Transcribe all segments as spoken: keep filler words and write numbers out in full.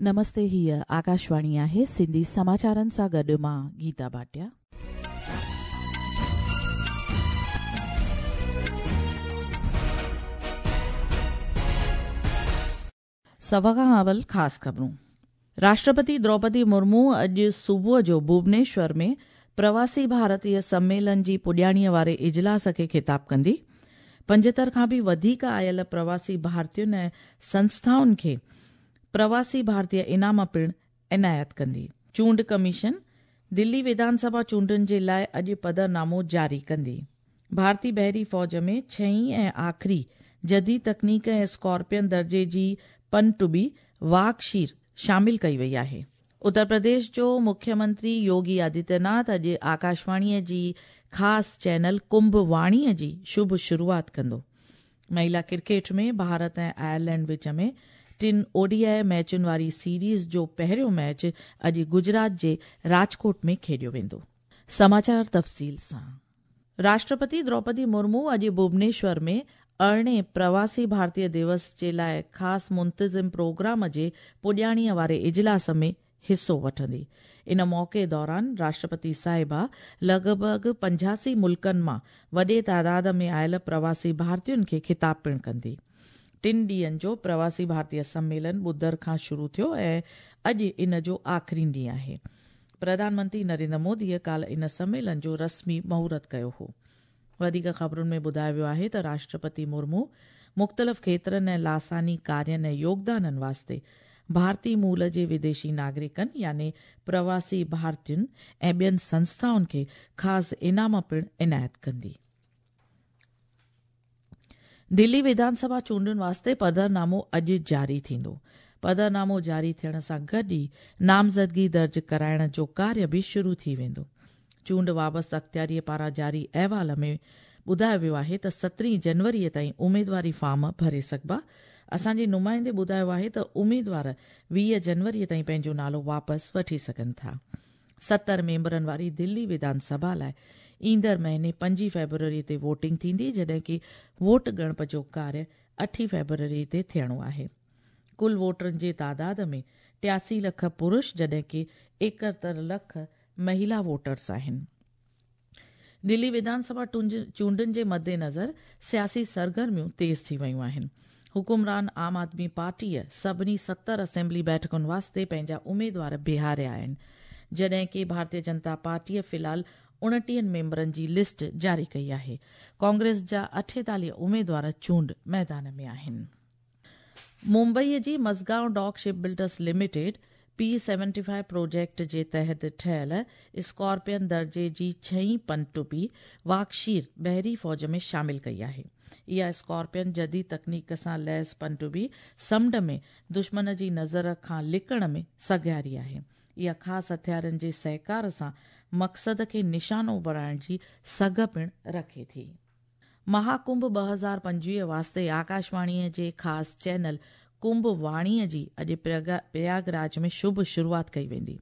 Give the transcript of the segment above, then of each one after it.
नमस्ते, हीअ आकाशवाणी आहे। सिंधी समाचारनि सां गॾु मां गीता भाटिया। सभ खां अवल ख़ासि ख़बरूं। राष्ट्रपति द्रौपदी मुर्मू अॼु सुबुह जो भुवनेश्वर में प्रवासी भारतीय सम्मेलन जी पुॼाणीअ वारे इजलास खे ख़िताब कंदी। पंजहतरि खां बि वधीक आयल प्रवासी भारतीयुनि ऐं संस्थाउनि खे प्रवासी भारतीय इनाम पिणु इनायत कंदी। चूंड कमीशन दिल्ली विधानसभा चूंडुनि जे लाइ अॼु पधरनामो जारी कंदी। भारतीय बहरी फ़ौज में छहीं ऐं आख़िरी जदीद तकनीक ऐं स्कॉर्पियन दर्जे जी पनडुब्बी वाघशीर शामिल कई वई आहे। उत्तर प्रदेश जो मुख्यमंत्री योगी आदित्यनाथ अॼु आकाशवाणीअ जी ख़ासि चैनल कुंभ वाणीअ जी शुभ शुरूआत कंदो। महिला क्रिकेट में भारत ऐं आयरलैंड विच में टिनि ओडीआई मैचुनि वारी सीरीज़ जो पहिरियों मैच अॼु गुजरात जे राजकोट में खेॾियो वेंदो। समाचार तफ़सील सां। राष्ट्रपति द्रौपदी मुर्मू अॼु भुवनेश्वर में अरिड़हें प्रवासी भारतीय दिवस जे लाइ ख़ासि मुंतज़िम प्रोग्राम जे पुॼाणीअ वारे इजलास में हिसो वठंदी। इन मौक़े दौरान राष्ट्रपति साहिबा लॻभॻ पंजासी मुल्कनि मां वॾे तादाद में आयल प्रवासी भारतीयुनि खे ख़िताब पिणु कंदी। टिनि ॾींहंनि जो प्रवासी भारतीय सम्मेलन ॿुधर खां शुरू थियो ऐं अॼु इन जो आख़िरी ॾींहुं आहे। प्रधानमंत्री नरेंद्र मोदीअ काल्ह इन सम्मेलन जो रस्मी मुहूर्त कयो हो। वधीक ख़बरुनि में ॿुधायो वियो आहे त राष्ट्रपति मुर्मू मुख़्तलिफ़ खेत्रनि ऐं लासानी कार्यनि ऐं योगदाननि वास्ते भारतीय मूल जे विदेशी नागरिकनि यानी प्रवासी भारतीयुनि ऐं ॿियनि संस्थाउनि खे ख़ासि इनाम पिणु इनायत कंदी। दिल्ली विधानसभा चूंडुनि वास्ते पधरनामो अॼु जारी थींदो। पधरनामो जारी थियण सां गॾु ई नामज़दगी दर्ज कराइण जो कार्य बि शुरू थी वेंदो। चूंड वाबस्ता अख़्तियारीअ पारां जारी अहवाल में ॿुधायो वियो आहे त सतरहीं जनवरीअ ताईं उमेदवारी फॉर्म भरे सघिबा। असांजे नुमाइंदे ॿुधायो आहे त उमेदवार वीह जनवरीअ ताईं पंहिंजो नालो वापसि वठी सघनि था। सतरि मेंबरनि वारी दिल्ली विधानसभा लाइ ईंदड़ महीने पंजी फेब्रुअरी ते वोटिंग थींदी, जॾहिं की वोट ॻणप जो कार्य अठी फेब्रुअरी ते थियणो आहे। कुल वोटरनि जे तादाद में टियासी लख पुरुष जॾहिं की एकहतरि लख महिला वोटर्स आहिनि। दिल्ली विधानसभा चूंडुनि जे मद्देनज़र सियासी सरगर्मियूं तेज़ थी वयूं आहिनि। हुकुमरान आम आदमी पार्टीअ सभिनी सतरि असेंबली बैठकुनि वास्ते पंहिंजा उमेदवार बीहारिया आहिनि, जॾहिं की भारतीय जनता पार्टीअ फ़िलहाल उणिटीहनि मेंबरनि जी लिस्ट जारी कई आहे। कांग्रेस जा अठेतालीह उमेदवार चूंड मैदान में आहिनि। मुंबईअ जी Mazagon Dock Ship Builders Limited P seventy five project जे तहत ठहियल स्कॉर्पियन दर्जे जी छहीं पनडुब्बी वाघशीर बहरी फ़ौज में शामिल कई आहे। इहा स्कॉर्पियन जदीद तकनीक सां लैस पनडुब्बी समुंड में दुश्मन जी नज़र खां लिकण में सघियारी आहे। इहा ख़ासि हथियारनि जे सहकार सां मक़सद खे निशानो बणाइण जी सघ पिणु रखे थी। महाकुंभ ॿ हज़ार पंजवीह वास्ते आकाशवाणीअ जे ख़ासि चैनल कुंभ वाणीअ जी अॼु प्रयागराज में शुभ शुरूआत कई वेंदी।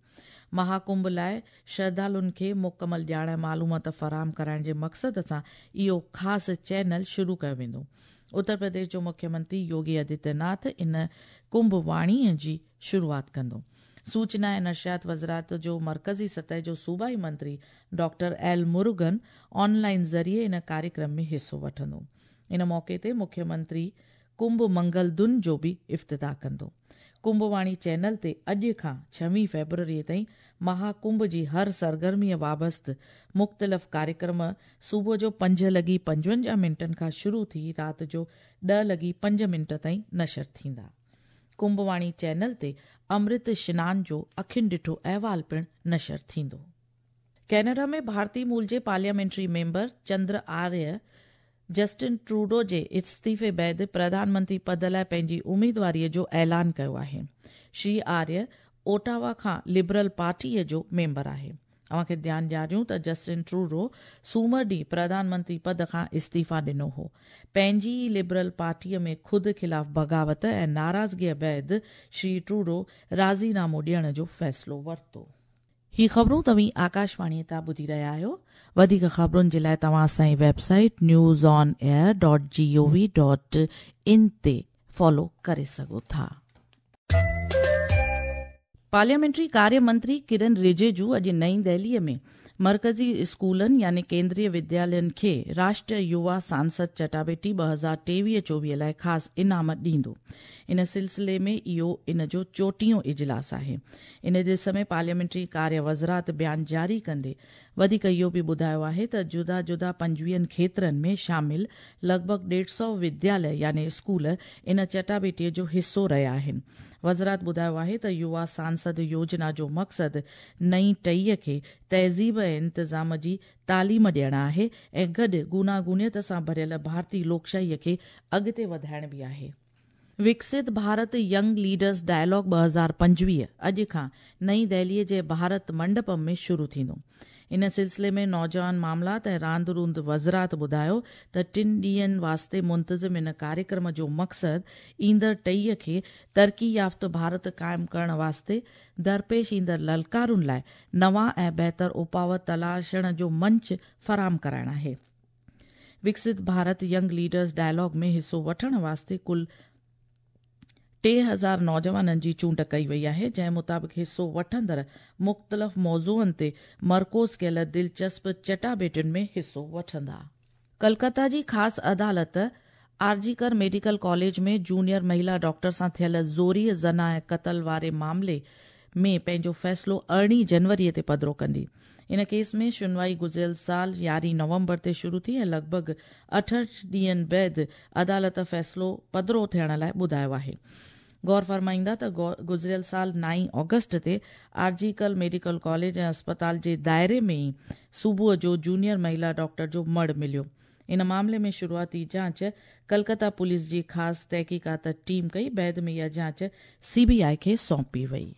महाकुंभ लाइ श्रद्धालुनि खे मुकमल ॼाण मालूमात फराहम कराइण जे मक़सद सां इहो ख़ासि चैनल शुरू कयो वेंदो। उत्तर प्रदेश जो मुख्यमंत्री योगी आदित्यनाथ इन कुंभ वाणीअ जी शुरूआत कंदो। सूचना ऐं नशरियात वज़ारत जो मरकज़ी सतह जो सूबाई मंत्री डॉक्टर एल मुरुगन ऑनलाइन ज़रिए इन कार्यक्रम में हिसो वठंदो। इन मौक़े ते मुख्यमंत्री कुंभ मंगल धुन जो बि इफ्तिताह कंदो। कुंभवाणी चैनल ते अॼु खां छवीह फेब्रुअरीअ ताईं महाकुंभ जी हर सरगर्मीअ वाबस्त मुख़्तलिफ़ कार्यक्रम सुबुह जो पंज लॻी पंजवंजाह मिंटनि खां शुरू थी राति जो ॾह लॻी पंज मिंट ताईं नशर थींदा। कुंभवाणी चैनल ते अमृत स्नान जो अखियुनि ॾिठो अहवाल पिणु नशर थींदो। कैनेडा में भारतीय मूल जे parliamentary member Chandra Arya Justin Trudeau जे इस्तीफ़े बाद प्रधानमंत्री पद लाइ पंहिंजी उमेदवारीअ जो ऐलान कयो आहे। श्री आर्य ओटावा खां लिबरल पार्टीअ जो मेंबर आहे। अव्हांखे ध्यानु ॾियारियूं त जस्टिन ट्रूडो सूमर ॾींहुं प्रधानमंत्री पद खां इस्तीफ़ा ॾिनो हो। पंहिंजी ई लिबरल पार्टीअ में ख़ुदि ख़िलाफ़ बग़ावत ऐं नाराज़गीअ बाद श्री ट्रूडो राज़ीनामो ॾियण जो फ़ैसिलो वरितो। ही ख़बरूं तव्हीं आकाशवाणीअ तां ॿुधी रहिया आहियो। वधीक ख़बरुनि जे लाइ तव्हां असांजी website news on air dot G O V dot in ते फॉलो करे सघो था। पार्लियामेंट्री कार्य मंत्री किरण रिजिजू अॼु नई दिल्लीअ में मर्कज़ी स्कूलनि यानी केंद्रीय विद्यालयनि खे राष्ट्रीय युवा सांसद चटाबेटी ॿ हज़ार टेवीह चोवीह लाइ ख़ासि इनाम ॾींदो। इन सिलसिले में इहो इन जो चोटीहों इजलास आहे। इन ॾिस में पार्लियामेंट्री कार्य वज़ारत बयान जारी कंदे वधीक इहो बि ॿुधायो आहे त जुदा जुदा पंजवीहनि खेत्रनि में शामिल लॻभॻि ॾेढ सौ विद्यालय यानी स्कूल इन चटाबेटीअ जो हिसो रहिया आहिनि। वज़ारत ॿुधायो आहे त युवा सांसद योजना जो मक़सदु नई टहीअ खे तहज़ीब ऐं इंतज़ाम जी तालीम ॾियणु आहे ऐं गॾु गुनागुनियत सां भरियल भारतीय लोकशाहीअ खे अॻिते वधाइण बि आहे। विकसित भारत यंग लीडर्स डायलॉग ॿ हज़ार पंजवीह अॼु खां नई दिल्लीअ जे भारत मंडपम में शुरू थींदो। इन सिलसिले में नौजवान मामलात ऐं रांदि रूंद वज़ारत ॿुधायो त टिनि ॾींहनि वास्ते मुंतज़िम इन कार्यक्रम जो मक़सदु ईंदड़ टहीअ खे तरक़ी याफ़्त भारत क़ाइमु करण वास्ते दरपेश ईंदड़ ललकारुनि लाइ नवां ऐं बहितर उपाव तलाशण जो मंच फराहम कराइण आहे। विकसित भारत यंग लीडर्स डायलॉग में हिसो वठण वास्ते कुल टे हज़ार नौजवाननि जी चूंड कई वई आहे, जंहिं मुताबिक़ हिसो वठंदड़ मुख़्तलिफ़ मौज़ूअनि ते मरकूज़ कयल दिलचस्प चटाबेटियुनि में हिसो वठंदा। कलकत्ता जी ख़ासि अदालत आरजीकर मेडिकल कॉलेज में जूनियर महिला डॉक्टर सां थियल ज़ोरीअ ज़ना ऐं क़तल वारे मामले में पंहिंजो फ़ैसिलो अरिड़हीं जनवरीअ ते पधरो कंदी। इन केस में सुनवाई गुज़िरियल साल यारहीं नवंबर ते शुरू थी ऐं लॻभॻि अठहठि ॾींहनि बाद अदालत फ़ैसिलो पधरो थियण लाइ ॿुधायो आहे। गौर फरमाईंदा त गुज़िरियल साल नाई ऑगस्ट ते आरजीकल मेडिकल कॉलेज ऐं अस्पताल जे दायरे में ई सुबुह जो जूनियर महिला डॉक्टर जो मड़ मिलियो। इन मामले में शुरुआती जांच कलकत्ता पुलिस जी ख़ासि तहक़ीक़ात टीम कई, बाद में इहा जांच सीबीआई खे सौंपी वई।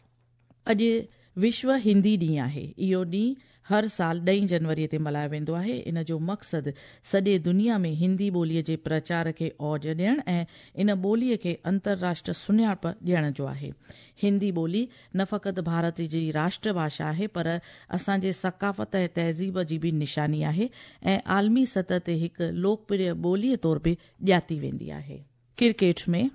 अॼु विश्व हिंदी ॾींहुं आहे। इहो ॾींहुं हर साल ॾहीं जनवरीअ ते मल्हायो वेंदो आहे। इन जो मक़सदु सॼे दुनिया में हिंदी ॿोलीअ जे प्रचार खे औज ॾियणु ऐं इन ॿोलीअ खे अंतरराष्ट्रीय सुञाणप ॾियण जो आहे। हिंदी ॿोली न फ़क़ति भारत जी राष्ट्रभाषा आहे पर असांजे सकाफ़त ऐं तहज़ीब जी बि निशानी आहे ऐं आलमी सतह ते हिकु लोकप्रिय ॿोलीअ तौर बि ॼाती वेंदी आहे। क्रिकेट में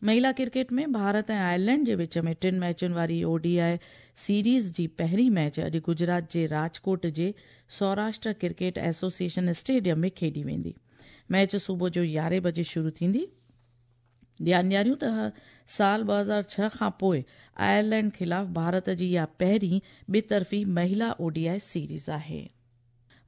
महिला क्रिकेट में भारत ऐं आयरलैंड जे विच में टिनि मैचुनि वारी ओडीआई सीरीज़ जी पहिरीं मैच अॼु गुजरात जे राजकोट जे सौराष्ट्र क्रिकेट एसोसिएशन स्टेडियम में खेॾी वेंदी। मैच सुबुह जो यारहें बजे शुरू थींदी। ध्यानु ॾियारियूं त साल ॿ हज़ार छह खां पोइ आयरलैंड ख़िलाफ़ भारत जी इहा पहिरीं ॿितरफ़ी महिला ओडीआई सीरीज़ आहे।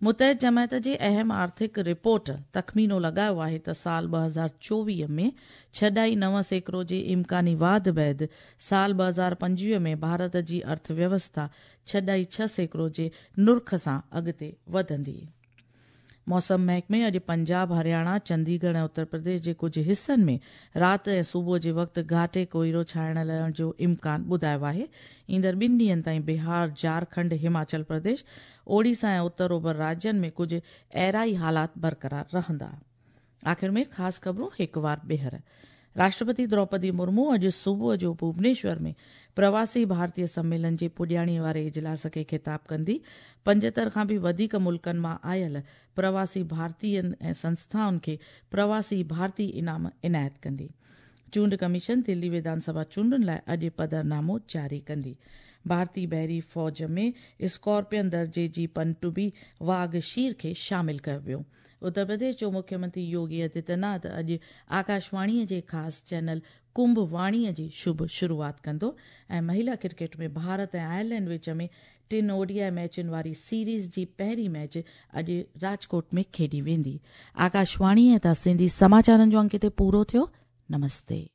मुतहद जमायत जे अहम आर्थिक रिपोर्ट तख़मीनो लॻायो आहे त साल ॿ हज़ार चोवीह में छह ॾाई नव सैकड़ो जे इम्कानी वाध बाद साल ॿ हज़ार पंजवीह में भारत जी अर्थव्यवस्था छह ॾाई छह सैकड़ो जे नुर्ख सां अॻिते वधंदी। मौसम महकमे अॼु पंजाब, हरियाणा, चंडीगढ़ ऐं उत्तर प्रदेश जे कुझु हिसनि में राति ऐं सुबुह जे वक़्तु घाटे कोइरो छाइण लहण जो इम्कान ॿुधायो आहे। ईंदड़ ॿिनि ॾींहनि ताईं बिहार, झारखंड, हिमाचल प्रदेश, ओडिशा ऐं उत्तर ओभर राज्यनि में कुझु अहिड़ा ई हालात बरक़रार रहंदा। आख़िर में ख़ासि ख़बरूं हिकु वार ॿीहर। राष्ट्रपति द्रौपदी मुर्मू अॼु सुबुह जो भुवनेश्वर में प्रवासी भारतीय सम्मेलन जे पुॼाणीअ वारे इजलास खे ख़िताब कंदी। पंजहतरि खां बि वधीक मुल्कनि मां आयल प्रवासी भारतीयनि ऐं संस्थाउनि खे प्रवासी भारतीय इनाम इनायत कंदी। चूंड कमीशन दिल्ली विधानसभा चूंडुनि लाइ अॼु पधरनामो जारी कंदी। भारतीय बहरी फ़ौज में स्कॉर्पियन दर्जे जी पनडुब्बी वाघ शीर खे शामिल कयो वियो। उत्तर प्रदेश जो मुख्यमंत्री योगी आदित्यनाथ अॼु आकाशवाणीअ जे ख़ासि चैनल कुंभ वाणीअ जी शुभ शुरूआत कंदो। ऐं महिला क्रिकेट में भारत ऐं आयरलैंड विच में टिनि ओडीआई मैचुनि वारी सीरीज़ जी पहिरीं मैच अॼु राजकोट में खेॾी वेंदी। आकाशवाणीअ तां सिंधी समाचारनि जो अंक हिते पूरो थियो। नमस्ते।